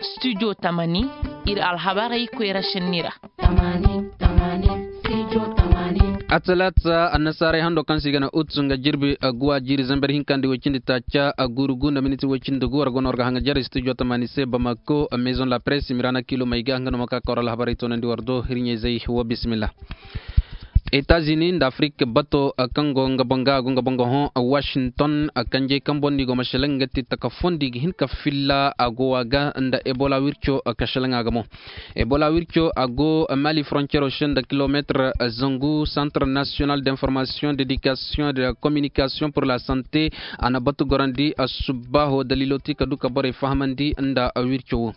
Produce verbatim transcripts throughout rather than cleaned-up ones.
Studio tamani, ir alhabarey koyra šenni ra. Atalaata annasaarey hando kaŋ se i ga ne ut nga jirbi guwa jiiri zamber hinka nda woy cindi taaca guuru gu nda miniti woy cindi gu war go no war ga haŋajer studio tamani se bamako maison la presse mirana kilo may ga nga no ma ka ka war alhabarey toonandi war do hirɲey zey wo bismillah. Etazini nda afirik bato kaŋ go nga boŋ ga a go nga boŋ ga hõ washington. Kanjey kaŋ boŋ no i go ma šelaŋ nga ti taka fondi ga hin ka filla a go a ga nda ebola wirco ka šelaŋ a ga mo. Ebola wirco a go mali frontiero se nda kilometre zangu centre national d'information d'éducation de la communication pour la santé. A na batu gorandi subbaaho daliilo ti ka du ka borey fahamandi nda wirco wo.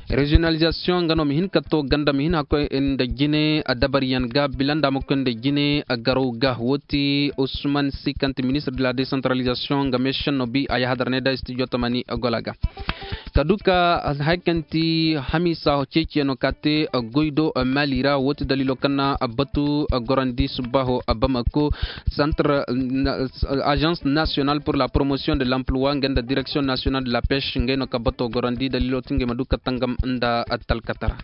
Reziyonalizasiyoŋ nga no ma hin ka to ganda ma hin hakkoy nda jine dabariyaŋ ga bila nda a ma koy nda jine garaw ga wo ti usman si kaŋ ti ministre de la desantaralizasiyoŋ nga meesenno bi a yahadar ne da studio tamani gola ga. Ka du ka hari kaŋ ti hamiisa ceeciyaŋo ka te goy do mali ra wo ti daliilo kaŋ na batu gorandi subbaaho bamako centre agence nationale pour la promotion de l'emploi nga nda direction nationale de la pêche ngey no ka bato gorandi daliilo ti ngey ma du ka tangam nda talkatara.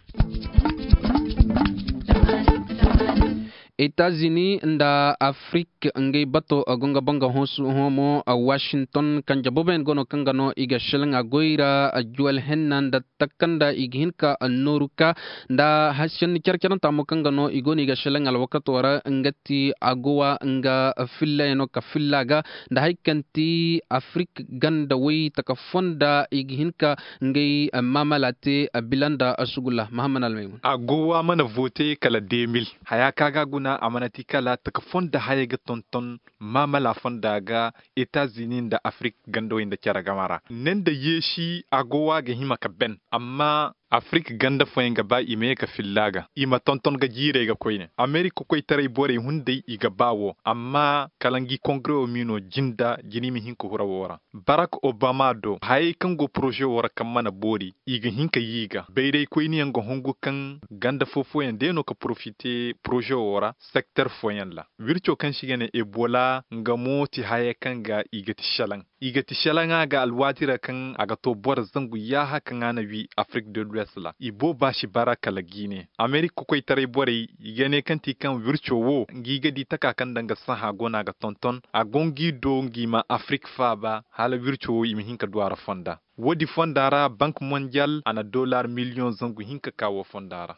Etazini nda afirik ngey bato go nga ba nga hõ mo washington kanje booboyaŋ go no kaŋ ga no i ga šelaŋ a goy ra juwal henna nda takanda i ga hin ka nooru ka nda senni care-caranta mo kaŋ ga no i go no i ga šelaŋ alwakato ra nga ti agowa nga fillayaŋo ka filla ga nda hari kaŋ ti afirik ganda way taka fonda i ga hin ka ngey maamala te bila nda sugulla mahammad almaymun. Agowa mana vote kala de mil haya kaŋ a ga a guna a mana ti kala taka fonda hayey ga tonton maamala fonda ga. Etazini nda afirik gandawey nda cere gama ra ne nda yeesi agowa ga hima ka ben amma afirik ganda fooyaŋ ga ba i ma ye ka filla ga i ma tonton ga jiirey ga koyne amerik kokoytaray borey hunday i ga ba wo amma kala ngi kongare wo m'i no jinda jina i ma hin ka hura wo ra. Barak obama do hayey kaŋ go poroze wo ra kaŋ mana boori i ga hin ka yii ga bayraykoyniyaŋ ga hungu kaŋ ganda foo-fooyaŋ day no ka porofite poroze wo ra sekter fooyaŋ ra. Wirco kaŋ se i ga ne ebola nga mo ti haya kaŋ ga i ga ti selaŋ i ga ti selaŋa ga alwaati ra kaŋ a ga to boro zangu yaaha kaŋ a na wi afirik de luwes ra i booba si bara kala giine amerik kokoytaray borey i ga ne kaŋ ti kaŋ wirco wo ngi ga di taka kaŋ nda nga sahã go no a ga tonton a go ngi do ngi ma afirik faaba hala wirco wo i ma hin ka du a ra fonda. Woodi fonda ra bank mondial a na dollar miliyoŋ zangu hinka ka wo fonda ra.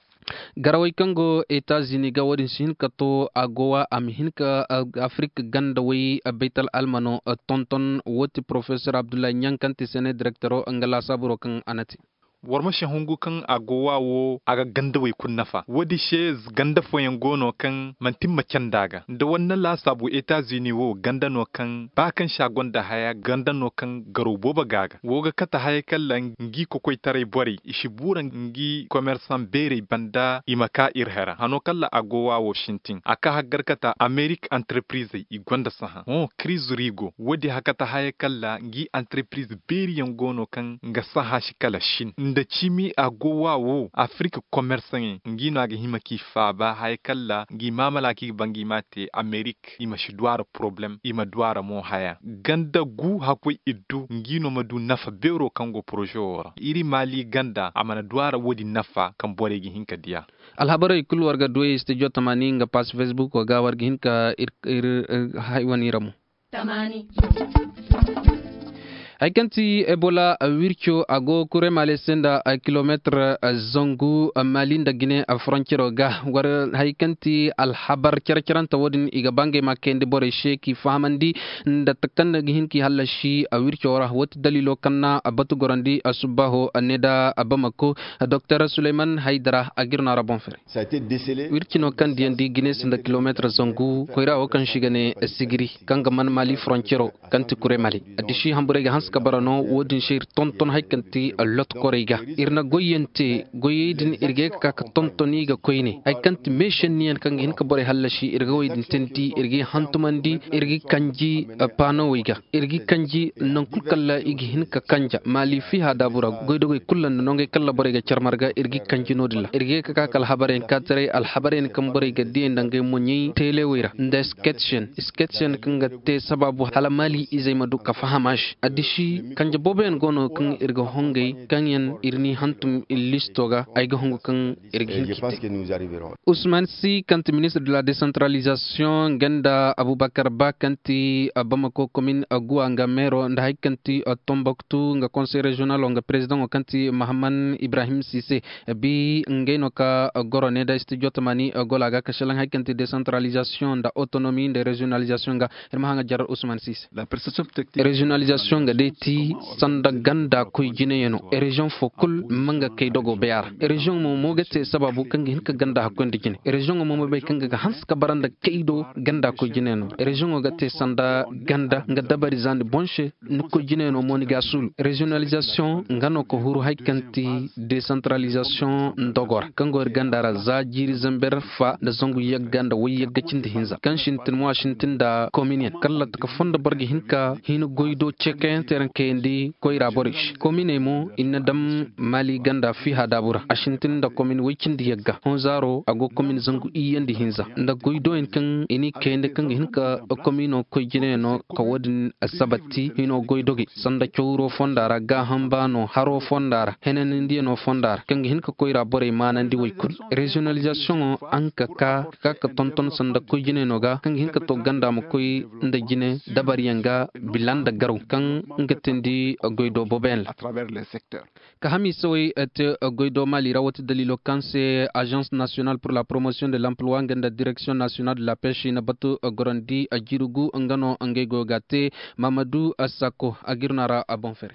Garawey kaŋ go etazini ga woodin si hin ka to a go wa a ma hin ka afirik ganda way baytal almano tonton wooti porofesor abdullahi ɲaŋ kaŋ ti sene direktoro nga laasaaburo kaŋ a na te. War ma si hungu kaŋ a go wa wo a ga gandawey kulu nafa woodi se ganda fooyaŋ go no kaŋ manti ma canda ga nda war na laasaabu etazini wo ganda no kaŋ ba kaŋ se a gonda haya ganda no kaŋ garaw boobo ga a ga wo ga kate haya kaŋ ra ngi kokoytaray borey i si buura ngi komersaŋ beerey banda i ma ka ir hera hano kaŋ ra a go wa wo sintin a ka haggar kate amerik antarprizey i gonda sahã hõ kiriz rigo woodi hakata haya kaŋ ra ngi antarpriz beeriyaŋ go no kaŋ nga sahã si kala sin nda cimi a go wa wo afirik komersaŋey ngi no a ga hima k'i faaba haya kaŋ ra ngi maamala kaŋ i ga ba ngi m'a te amerik i ma si du a ra poroblem i ma du a ra mo haya ganda gu hakkoy iddu ngi no ma du nafa beero kaŋ go poroze wo ra iri maali ganda a mana du a ra woodin nafa kaŋ borey ga hin ka diya. Alhabarey kulu war ga duwey studio tamani nga pass facebook ga war ga hin ka ir ir ir hay wane ira mo. Hay kaŋ ti ebola wirco a go kuremale se nda kilometre zangu mali nda gine frontiero ga war hay kaŋ ti alhabar care-carante wo-din i ga ba ngey ma kayandi borey se k'i fahamandi nda takanda ga hin k'i hallasi wirco ra wo ti daliilo kaŋ na batu gorandi subbaaho ne nda bamako doktor suleyman haydara a g'ir no a ra boŋ fere. Wirci no kaŋ diyandi gine se nda kilometre zangu koyra wo kaŋ se i ga ne sigiri kaŋ ga man mali frontiero kaŋ ti kure mali. Addiši hamburey ga hanse. Ka bara no wo-din se ir tonton hari kaŋ ti lot korey ga ir na goyyaŋ te. Goyey din ir ga ye ka ka ka tonton i ga koyne hari kaŋ ti meešenniyaŋ kaŋ ga hin ka borey hallasi ir ga wey din teendi ir g'i hantumandi ir g'i kanji. Paanowey ga ir g'i kanji naŋ kul kalla i ga hin ka kanja maali fiiha daabu ra. Goydogey kul nda nongey kalla borey ga car marga ir g'i kanji no-din ra ir ga ye ka ka ka alhabaryaŋ kaataray alhabaryaŋ kaŋ borey ga diyey nda ngey moɲey teelewey ra nda sketchen sketchen kaŋ ga te sabaabu hala maali izey ma du ka faham a se addisi. Kanje booboyaŋ go no kaŋ ir ga hongey kaŋyaŋ ir n'i hantum ir listo ga ay ga hongu kaŋ ir ga hin k'i te. Usman si kaŋ ti ministir de la desantaralizasiyoŋ nga nda abubakar ba kaŋ ti bamako komin guwa nga meero nda hari kaŋ ti tomboktu nga konsey reziyonalo nga perezidaŋo kaŋ ti mahaman ibrahim sise. Bi ngey no ka goro ne da studio tamani gola ga ka selaŋ hari kaŋ ti desantaralizasiyoŋ nda otonomi nda reziyonalizasiyoŋ ga. Ir ma haŋa jarar usman sise. Reziyonalizasiyoŋ ga day ti sanda ganda koy jineyano reziyoŋ fo kul ma nga kay dogo bay a ra. Reziyoŋ mo mo ga te sabaabu kaŋ ga hin ka ganda hakkoy nda jine reziyoŋo mo ma bay kaŋ ga ga hanse ka bara nda kay do ganda koy jineyano reziyoŋo ga te sanda ganda nga dabari zandi boŋ se. Ni koy jineyano mo ni ga a suulu reziyonalizasiyoŋ nga no ka huru hari kaŋ ti desantaralizasiyoŋ ndogo ra kaŋ go ir ganda ra za jiiri zamber fa nda zangu yagga nda way yagga cindi hinza kaŋ sintin mo a sintin nda kominiyaŋ kalla taka fondo boro ga hin ka hin goy do ceekayaŋ teeraŋ kayandi koyra borey se kominey mo i na daŋ maali ganda fiiha daabu ra a sintin nda komin way cindi yagga honzaaro a go komin zangu iyye nda hinza nda goy doyaŋ kaŋ i n'i kayandi kaŋ ga hin ka komino koy jinayano ka wo-din sabatti hino goy dogey sanda cawro fonda ra gaaham baano haro fonda ra henanandiyano fonda ra kaŋ ga hin ka koyra borey maanandi woy kulu. Reziyonalizasiyoŋo a hin ka ka ka ka tonton sanda koy jinayano ga kaŋ ga hin ka to ganda ma koy nda jine dabaryaŋ ga bila nda garaw kaŋ nga teendi goy do booboyaŋ ra. Ka hamiisawey te goy do maali ra woo ti daliilo kaŋ se azans nasiyonal pur la poromosiyoŋ de lampluwa nga nda direksiyoŋ nasiyonal de la pes i na batu gorandi jiiri gu nga no ngey goyo ga a te. Maamadu sako a g'ir no a ra a boŋ fere.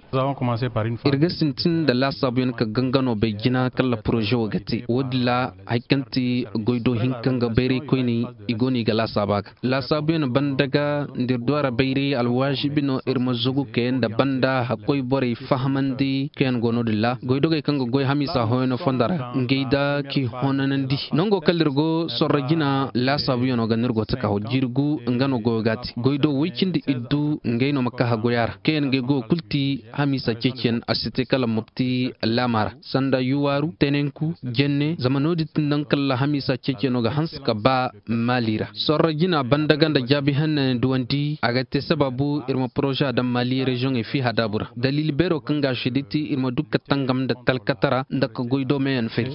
Ir ga sintin nda laasaabuyaŋ ka gangano bay jina kala poroze wo ga te wo-din ra hari kaŋ ti goy do hinka nga bayray koyney i go no i ga laasaaba ga laasaabuyaŋ banda ga nda ir du a ra bayray alwaazibi no ir ma zagu kay nda banda hakkoy borey fahamandi kaŋ yaŋ go no-din ra goydogey kaŋ ga goy hamiisa hooyano fonda ra ngey da k'i honanandi. Nango kala ir go sorro jina laasaabuyaŋo ga no ir go taka jirgu nga no goyo ga a te goy do woy cindi iddu ngey no ma ka hagoya ra kaŋ yaŋ ngey goyo kul ti hamiisa ceeciyaŋ a si te kala mopti laama ra sanda yuwaaru tenenku jenne zama no-din ti naŋ kala hamiisa ceeciyaŋo ga hanse ka ba maali ra sorro jina banda ga nda jaabi hanne duwandi a ga te sabaabu ir ma poroze daŋ maali reziyoŋey fiiha daabu ra daliili beero kaŋ ga a seedi ti ir ma du ka tangam nda talkatara nda ka goy do meeyaŋ fari.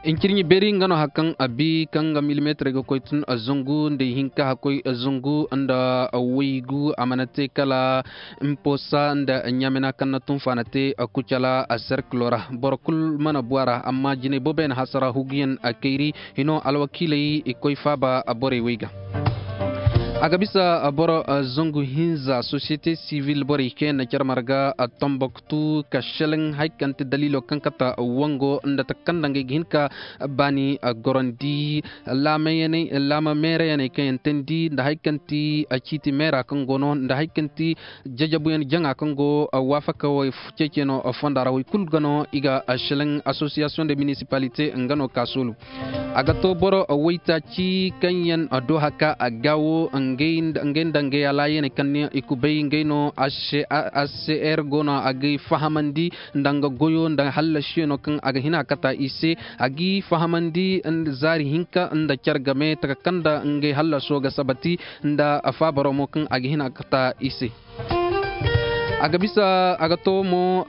Incirɲi beeri nga no hari kaŋ a bi kaŋ ga milimeetirey ga koy tun zangu nda ihinka hakkoy zangu nda waygu a mana te kala imposa nda ɲamina kaŋ na tun faana te kucala a serkilo ra. Boro kul mana bu a ra amma jinay booboyaŋ hasara huguyaŋ a kayri hino alwakiiley i koy faaba borey wey ga. A ga bisa boro zangu hinza sosiyete sivil borey kaŋ yaŋ na care marga tombok tu ka selaŋ hari kaŋ ti daliilo kaŋ kata wango nda taka kaŋ nda ngey ga hin ka baani gorandi laama meerayaney kaŋ yaŋ teendi nda hari kaŋ ti ciiti meera kaŋ go no nda hari kaŋ ti jajabuyaŋ jaŋa kaŋ go waafaka wo ceeciyaŋo fonda ra woy kul ga no i ga selaŋ asosiyasiyoŋ de minisipalite nga no ka soolu. A ga to boro waytaaci kaŋ yaŋ do haka a gaawo ngey nda ngey alaayaney kaŋ ne i kubay ngey no. Acr go no a g'ay fahamandi nda nga goyo nda hallasiyaŋo kaŋ a ga hin a kata i se a g'i fahamandi zaari hinka nda care game taka kaŋ nda ngey hallaso ga sabati nda faabaro mo kaŋ a ga hin a kata i se. A ga bisa a ga to mo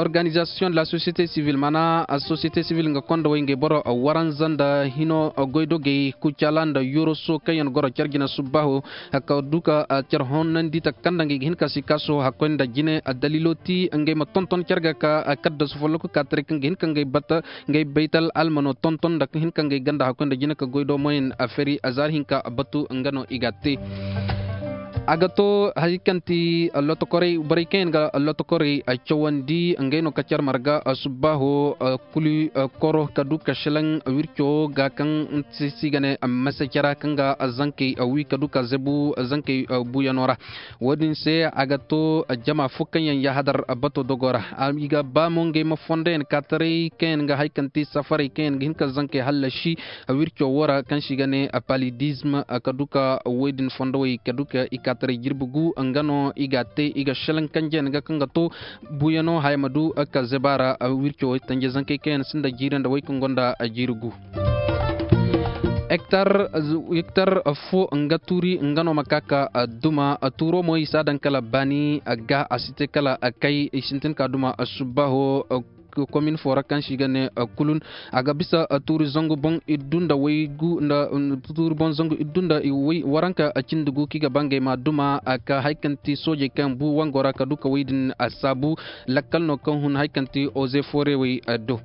organizasiyoŋ de la sosiyete sivil maana sosiyete sivil nga konda way ngey boro waranza nda hino goydogey kucala nda yoroso kaŋ yaŋ goro care jina subbaaho ka du ka care honandi taka kaŋ nda ngey ga hin ka si kaaso hakkoy nda jine. Daliilo ti ngey ma tonton care ga ka kaddasu folloku ka taray kaŋ ga hin ka ngey bata ngey baytal almano tonton nda hin ka ngey ganda hakkoy nda jine ka goydo moyen a feri a zaari hinka batu nga no i ga te. A ga to hari kaŋ ti lotokorey borey kaŋ yaŋ ga lotokorey cawandi ngey no ka car marga subbaaho kuli koro ka du ka šelaŋ wirco wo ga kaŋ si ga ne mase cara kaŋ ga zankey wi ka du ka zebu zankey buuyano ra. Wo-din se a ga to jama fo kaŋ yaŋ yahadar bato dogo ra. I ga ba mo ngey ma fondo yaŋ kaataray kaŋ yaŋ ga hari kaŋ ti safarey kaŋ yaŋ ga hin ka zankey hallasi wirco wo ra kaŋ se i ga ne palidism ka du ka woy din fondowey ka du ka i kaataray jirbi gu nga no i ga a te i ga šelaŋ kanjeyaŋ ga kaŋ ga to buuyano haya ma du ka zeba ra wirco woy tanje zankey kaŋ yaŋ sinda jiiri nda woy kaŋ gonda jiiri gu. Hektar fo nga tuuri nga no ma ka ka duma tuuro mo i si a daŋ kala baani ga a si te kala kay i sintin ka duma subbaaho komin fo ra kaŋ se i ga ne kulun. A ga bisa tuuri zangu boŋ iddu nda way gu nda tuuri boŋ zangu iddu nda way waranka cindi gu kaŋ i ga ba ngey ma duma ka hari kaŋ ti soojey kaŋ bu wango ra ka du ka way din saabu. Lakkal no kaŋ hun hari kaŋ ti oze foorewey do.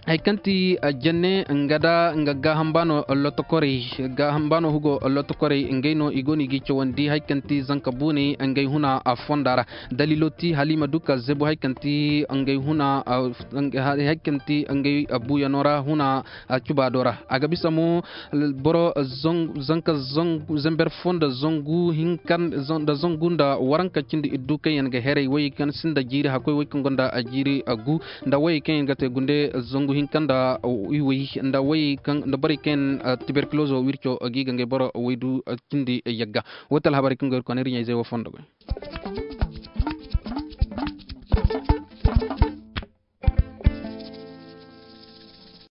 Hari kaŋ ti jenne nga da nga gaaham baano lotokorey gaaham baano hugo lotokorey ngey no i go no i g'i cawandi hari kaŋ ti zanka buuney ngey huna fonda ra. Daliilo ti hala i ma du ka zebu hari kaŋ ti ngey huna hari kaŋ ti ngey buuyano ra huna cubaado ra. A ga bisa mo boro zanka zanber fo nda zangu hinka nda zangu nda waranka cindi iddu kaŋ yaŋ ga heray way kaŋ sinda jiiri hakkoy way kaŋ gonda jiiri gu nda way kaŋ yaŋ ga te gunde zangu hinka nda iwey nda way kaŋ nda borey kaŋ yaŋ tuberkulozo wirco gi ga ngey boro waydu cindi yagga. Wo ti alhabarey kaŋ go ir konay riɲey zey wo fondo goy.